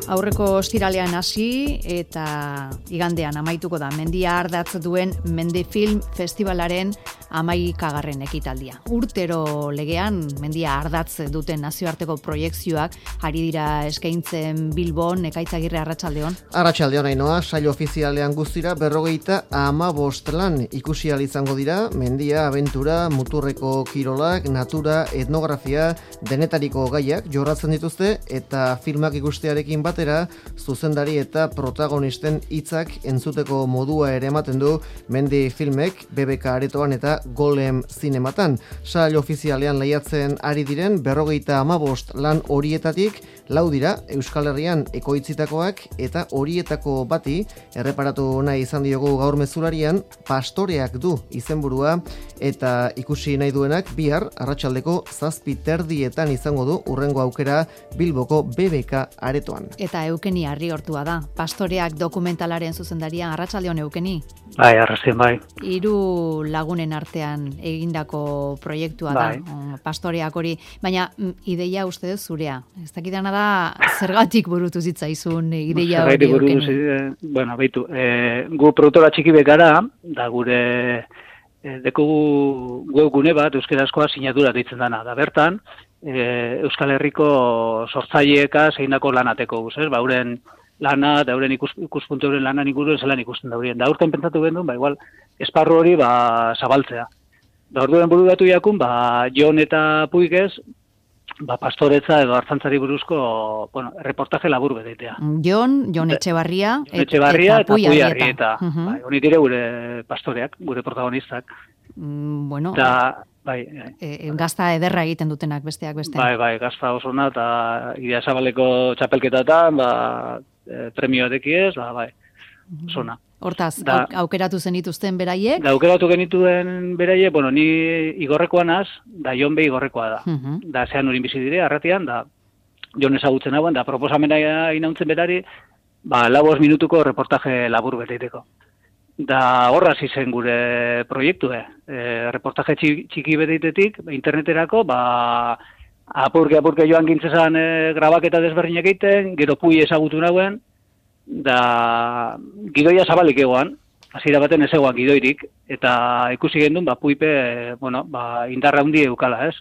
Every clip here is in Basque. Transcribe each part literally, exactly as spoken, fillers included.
Aurreko ostiralean hasi eta igandean amaituko da mendia ardatz duen Mendifilm Festivalaren hamaikagarren ekitaldia. Urtero legean mendia ardatz duten nazioarteko proiekzioak ari dira eskaintzen Bilbon. Ekaitzagirre, arratsaldeon. Arratsaldeon, Ainoa, saio ofizialean guztira berrogeita hamabost lan ikusi ahal izango dira, mendia, abentura, muturreko kirolak, natura, etnografia, denetariko gaiak jorratzen dituzte eta filmak ikustearekin batera zuzendari eta protagonisten hitzak entzuteko modua ere ematen du Mendi Filmek B B K aretoan eta Golem zinematan. Saio ofizialean lehiatzen ari diren berrogeita hamabost lan horietatik lau dira Euskal Herrian ekoitzitakoak eta horietako bati erreparatu nahi izan diogu gaur mezularian Pastoreak du izenburua eta ikusi nahi duenak bihar arratsaldeko zazpi terdietan izango du urrengo aukera Bilboko B B K aretoan. Eta Eukeni Arriortua da, Pastoreak dokumentalaren zuzendaria. Arratsaldeon, Eukeni. Bai, arrazien bai. Hiru lagunen artean egindako proiektua bai. da, Pastoreak hori, baina ideia uste dut zurea. Ez dakidana da, zergatik burutu zitzaizun ideia hori, Eukeni? Bueno, baitu, e, gu produktora txiki bekara, da gure e, dekugu webgune bat, euskarazkoa sinatura deitzen dana, da bertan, e, Euskal Herriko sortzaileeka zeindako lanateko guz, ez? Ba, euren lana, da euren ikus, ikuspuntu euren lanan inguruen zelan ikusten daurien. Da urten pentsatu genuen, ba, igual, esparru hori, ba, zabaltzea. Da orduen bururatu jakun, ba, Jon eta Puigez, ba, pastoretza edo hartzantzari buruzko, bueno, reportaje labur bedetea. Jon, Jon Etxebarria, Jon Etxebarria eta Pui Arrieta. Uh -huh. Bai, honi dire gure pastoreak, gure protagonistak. Mm, bueno, da, bai, e, gazta ederra egiten dutenak besteak beste. Bai, bai, gazta osona eta Idia Zabaleko txapelketatan, ba, e, premioa dekiez, ba, bai, osona. Hortaz, da, aukeratu zenituzten beraiek? Da, aukeratu genituen beraiek, bueno, ni igorrekoa naz, da Jon be igorrekoa da. Uh -huh. Da, zean urin bizi dire, arratian, da, Jon ezagutzen hauen, da, proposamena inauntzen berari, ba, labos minutuko reportaje labur beteiteko. Da, horra zen gure proiektue. E, reportaje txiki beteitetik, interneterako, ba, apurke-apurke joan gintzezan e, grabaketa desberdinak egiten, gero Pui ezagutu nagoen, da gidoia zabalik egoan, hasiera baten ez egoan gidoirik, eta ikusi gendun, ba, Puipe, bueno, ba, indarra hundi eukala, ez?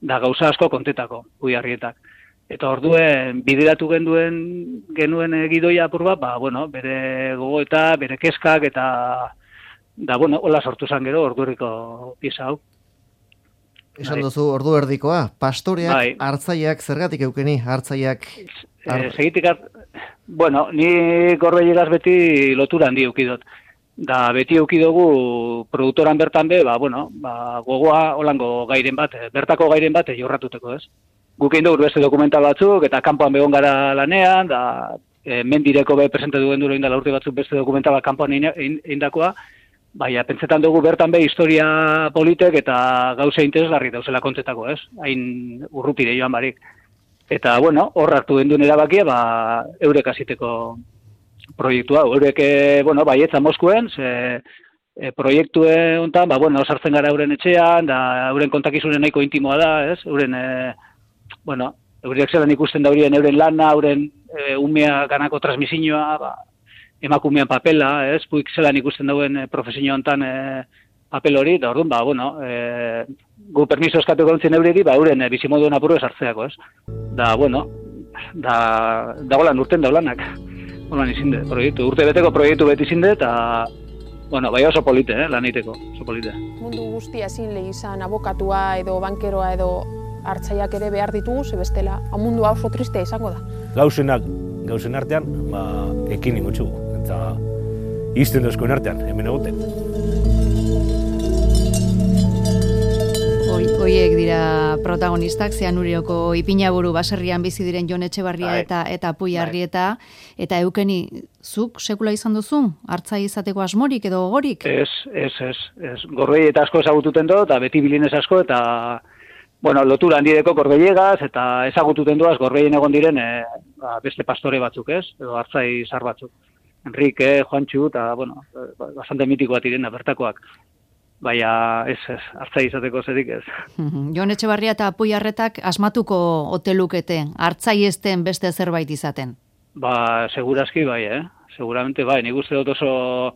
Da gauza asko kontetako, Pui Arrietak. Eta orduen bideratu genduen genuen e, gidoia apur bat, ba, bueno, bere gogoeta, bere kezkak, eta, da, bueno, hola sortu zan gero, orduriko pieza hau. Esan duzu ordu erdikoa, Pastoreak, bai. Hartzaiak, zergatik Eukeni, Hartzaiak... Ar... E, segitik, ar... bueno, ni Gorbeiegaz beti lotura handi eukidot. Da, beti eukidogu produktoran bertan be, ba, bueno, ba, gogoa holango gairen bat, bertako gairen bat jorratuteko, ez? Guk egin dugu beste dokumental batzuk, eta kanpoan begon gara lanean, da, e, mendireko be presentatu genduro indala urte batzuk beste dokumentala kanpoan indakoa, baina, pentsetan dugu bertan be historia politek eta gauza interesgarri dauzela kontetako, ez? Hain urrutire joan barik. Eta, bueno, hor hartu genduen erabakia, ba, eurek hasiteko proiektua. Eurek, bueno, baietza Moskuen, ze e, proiektue hontan, ba, bueno, sartzen gara euren etxean, da euren kontakizunen nahiko intimoa da, ez? Euren, e, bueno, eurek zelan ikusten daurien euren lana, euren e, umea ganako transmisioa, ba, emakumean papela, ez? Puik zelan ikusten dauen e, profesio hontan e, papel hori, da orduan, ba, bueno, e, gu permiso eskatu gontzen eureri, ba, euren e, bizimoduen apurru esartzeako, ez? Da, bueno, da, da golan urten daulanak. Holan izinde, proiektu, urte beteko proiektu beti izinde, eta, bueno, bai oso polite, eh, lan egiteko, oso polite. Mundu guztia ezin lehi izan abokatua edo bankeroa edo hartzaiak ere behar ditugu, ze bestela, mundua oso tristea izango da. Gauzenak, gauzen artean, ba, ekin ingotxugu, eta izten dozkoen artean, hemen egoten. Hoiek dira protagonistak, Zeanurioko Ipinaburu baserrian bizi diren Jon Etxebarria bai. eta eta Pui Arrieta, eta Eukeni, zuk sekula izan duzu? Hartzai izateko asmorik edo gogorik? Ez, ez, ez, ez. Gorbei eta asko ezagututen do, eta beti bilinez asko, eta, bueno, lotura handideko Gorbeiegaz, eta ezagututen doaz Gorbeien egon diren e, ba, beste pastore batzuk, ez? Edo hartzai zar batzuk. Enrique, Juantxu, eta, bueno, bastante mitikoak direna, bertakoak. Baina ez, ez, hartzai izateko zerik ez. Jon Etxebarria eta Pui Arrietak asmatuko ote lukete, hartzai ezten beste zerbait izaten? Ba, segurazki bai, eh? Seguramente bai, nik uste dut oso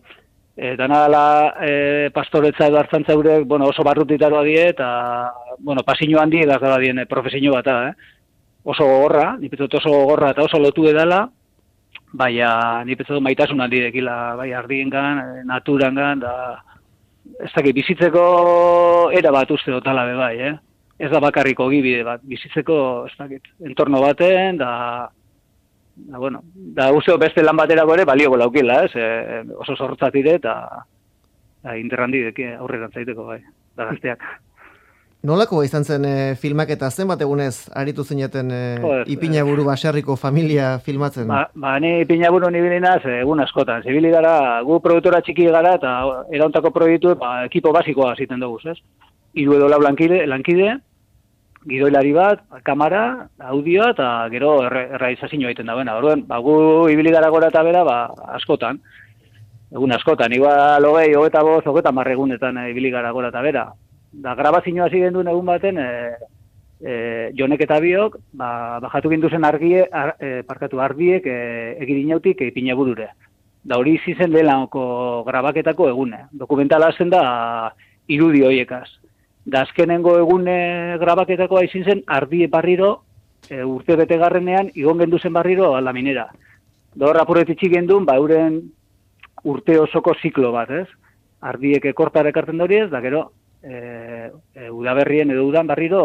e, dana dela e, pastoretza edo hartzantza eurek, bueno, oso barrutitaroa die, eta, bueno, pasiño handi edaz dela dien profesio bat da, eh? Oso gogorra, nik dut oso gogorra eta oso lotu edala, baina nik dut maitasun handi dekila, bai, ardiengan, naturangan, da, ez dakit, bizitzeko era bat uste dut alabe bai, eh? Ez da bakarriko gibide bat, bizitzeko, ez dakit, entorno baten, da, da, bueno, da uste beste lan baterako ere balio laukila, ez? E, oso zorrotzatire eta da, interrandi deki aurrera zaiteko, bai, da gazteak. Nolako izan zen e, filmak eta zenbat egunez aritu zineten e, Ipinaburu baserriko familia filmatzen? Ba, ba ni Ipinaburu nibilinaz egun askotan. Zibili gara, gu produktora txiki gara eta erauntako proiektu ba, ekipo basikoa ziten dugu, ez? Hiru edo lau lankide, lankide, gidoilari bat, kamera, audioa eta gero errealizazioa egiten dagoena. Orduan, ba, gu ibili gara gora eta bera, ba, askotan. Egun askotan, igual hogei, hogeita bost, hogeita hamar egunetan e, ibili gara gora eta bera. Da, grabazioa hasi genduen egun baten, e, e, Jonek eta biok, ba, bajatu ginduzen argie, ar, e, parkatu ardiek e, egirinautik e, Ipinaburure. Da hori izen lehenako grabaketako egune. Dokumentala hasten da irudi horiekaz. Da azkenengo egune grabaketakoa izin zen ardie barriro, e, urte bete garrenean, igon genduzen barriro laminera. Da hor apurretitxik gendun, ba, euren urte osoko ziklo bat, ez? Ardiek kortara ekartzen da ez, da gero, E, e, udaberrien edo udan barriro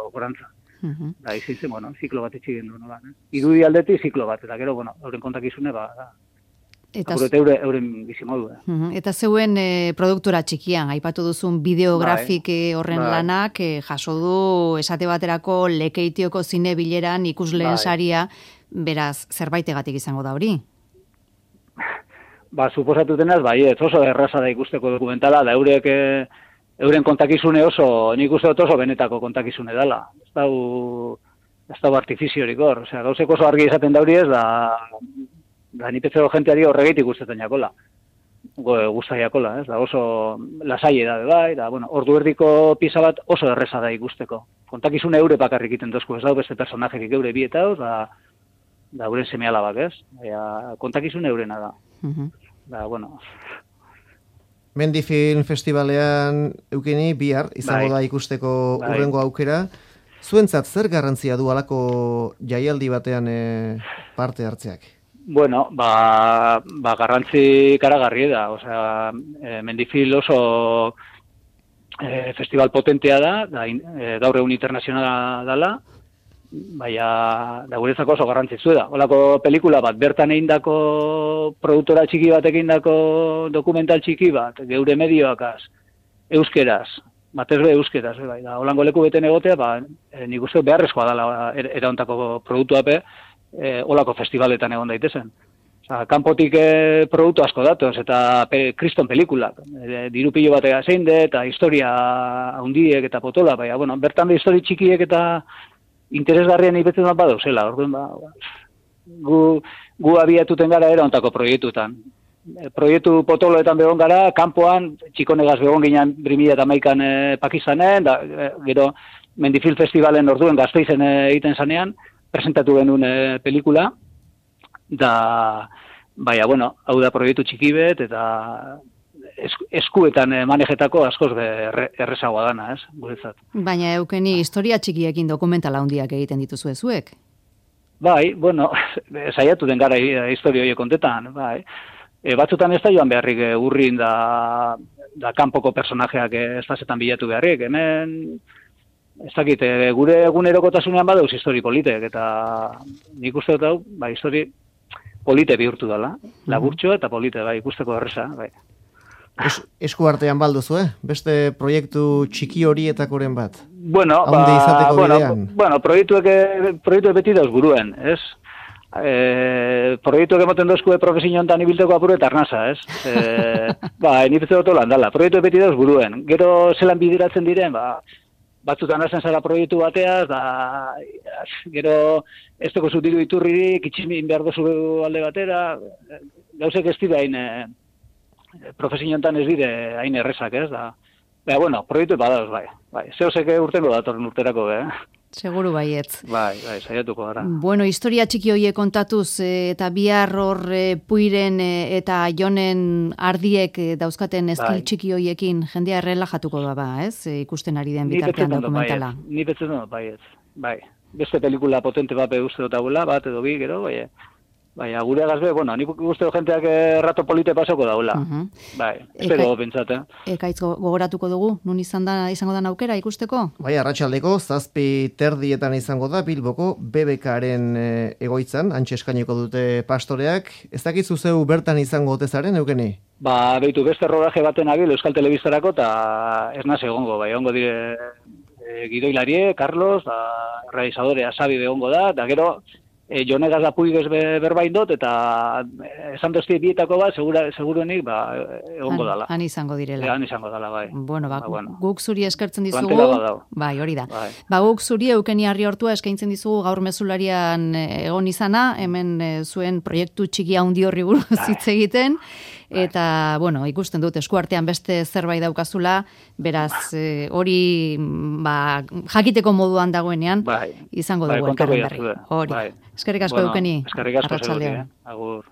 gorantza. Uh-huh. Da, izin zen, bueno, ziklo bat etxik gendu, nola, eh? Irudi aldeti ziklo bat, eta gero, bueno, euren kontakizune, ba, da, eta eure, euren bizimodu. Eh? Uh-huh. Eta zeuen e, produktora txikian, aipatu duzun bideografik bai, horren bai. Lanak, e, jaso du esate baterako Lekeitioko zine bileran ikusleen bai. Saria, beraz, zerbaitegatik izango da hori? Ba, suposatu denaz, bai, ez oso erraza da ikusteko dokumentala, da eurek... E, euren kontakizune oso, nik uste dut oso benetako kontakizune dela. Ez dau, ez dau artifiziorik hor. Osea, gauzek oso argi izaten dauri ez, da, da nipetzeko jenteari horregeitik gustatzen jakola. Gusta jakola, ez, da oso lasai da, bai, da, bueno, ordu erdiko pisa bat oso erreza da ikusteko. Kontakizune eure bakarrik iten dozku, ez dau beste personajerik eure bietauz, da, da euren seme-alabak, ez? Ea, kontakizune eurena da. Uh-huh. Da, bueno... Mendi Film Festivalean eukeni bihar izango bai. Da ikusteko bai. Urrengo aukera. Zuentzat zer garrantzia du halako jaialdi batean e, parte hartzeak? Bueno, ba, ba garrantzi karagarri da. Osea, e, Mendi Film oso e, festival potentea da, da e, gaur egun internazionala dela, baina da guretzako oso garrantzitsu da. Holako pelikula bat, bertan egindako produktora txiki bat egindako dokumental txiki bat, geure medioakaz, euskeraz, batez be euskeraz, bai, da, holango leku beten egotea, ba, e, nik uste beharrezkoa dela er, eraontako produktuape, e, holako festivaletan egon daitezen. Osa, kanpotik e, produktu asko datoz, eta pe, kriston pelikulak, e, diru pilo batega zein de, eta historia handiek eta potola, baina, bueno, bertan be histori txikiek eta interesgarrien ipetzen bat badauzela, orduan ba, gu, gu abiatuten gara era ontako proiektutan. E, proiektu potoloetan begon gara, kanpoan, txikonegaz begon ginen brimila eta maikan e, Pakistanen, da, e, gero Mendi Film Festivalen orduen Gasteizen e, egiten zanean, presentatu genuen e, pelikula, da, baina, bueno, hau da proiektu txikibet, eta eskuetan manejetako askoz errezagoa dana, ez, guretzat. Baina eukeni historia txikiekin dokumentala handiak egiten dituzu zuek? Bai, bueno, saiatu den gara historia horiek kontetan, bai. E, batzutan ez da joan beharrik e, urrin da, da kanpoko personajeak ez dazetan bilatu beharrik, hemen, ez dakit, e, gure egunerokotasunean badauz histori politek, eta nik uste dut hau, bai, histori polite bihurtu dela, laburtxo eta polite, bai, ikusteko erreza, bai. Es, esku artean balduzu, eh? Beste proiektu txiki horietakoren bat? Bueno, ba, bueno, bueno proiektuek, proiektuek beti dauz buruen, ez? E, proiektuek emoten dozkue profesio hontan ibilteko apuru eta arnasa, ez? E, ba, nipetze dut holan dala, proiektuek beti dauz buruen. Gero zelan bideratzen diren, ba, batzutan hazen zara proiektu bateaz, da, gero ez toko zutiru iturririk, itximin behar dozu alde batera, gauzek ez dira hain... profesio hontan ez dire hain errezak, ez da. Baina, bueno, proiektu badauz, bai. bai. Zeozek urtengo datorren urterako, eh? Seguru baietz. Bai, bai, saiatuko gara. Bueno, historia txiki hoiek kontatuz e, eta bihar hor e, Puiren e, eta Jonen ardiek e, dauzkaten eskil Bai. txiki hoiekin jendea errelajatuko da ba, ez? E, ikusten ari den Ni bitartean betzetan dut dokumentala. baietz. Ni betzetan dut baietz. Bai. Beste pelikula potente bat uste dut daula, bat edo bi, gero, bai. Bai, gure gazbe, bueno, nik uste dut jenteak errato polite pasoko daula. Uh -huh. Bai, espero Eka- pentsat, eh? Ekaitz go- gogoratuko dugu, nun izan da, izango da aukera ikusteko? Bai, arratsaldeko zazpi terdietan izango da Bilboko B B Karen e, egoitzan, antxe eskainiko dute pastoreak. Ez dakizu zeu bertan izango otezaren, eukeni? Ba, beitu, beste rodaje baten abil Euskal Telebistarako, eta ez naz egongo, bai, egongo dire e, gidoilarie, Carlos, da, realizadore Asabi egongo da, eta gero, e, Jonegaz da puigez be, berbain dut, eta e, esan dozti bietako bat, segura, seguruenik, ba, egongo Han- dala. Han izango direla. E, han izango dala, bai. Bueno, ba, Ba, bueno. guk zuri eskertzen dizugu. Plantela badau. Bai, hori da. Bai. Ba, guk zuri Eukeni Arriortua eskaintzen dizugu gaur mezularian eh, egon izana, hemen eh, zuen proiektu txiki handi horri buruz hitz egiten, eta, bueno, ikusten dut eskuartean beste zerbait daukazula, beraz, eh, hori mm, ba, jakiteko moduan dagoenean, Bai. izango Bai, dugu kontako elkarren berri. jazue. Hori. Bai. Eskerrik asko Bueno, Eukeni. eskerrik asko Arratsaldeon. seguruti, eh? Agur.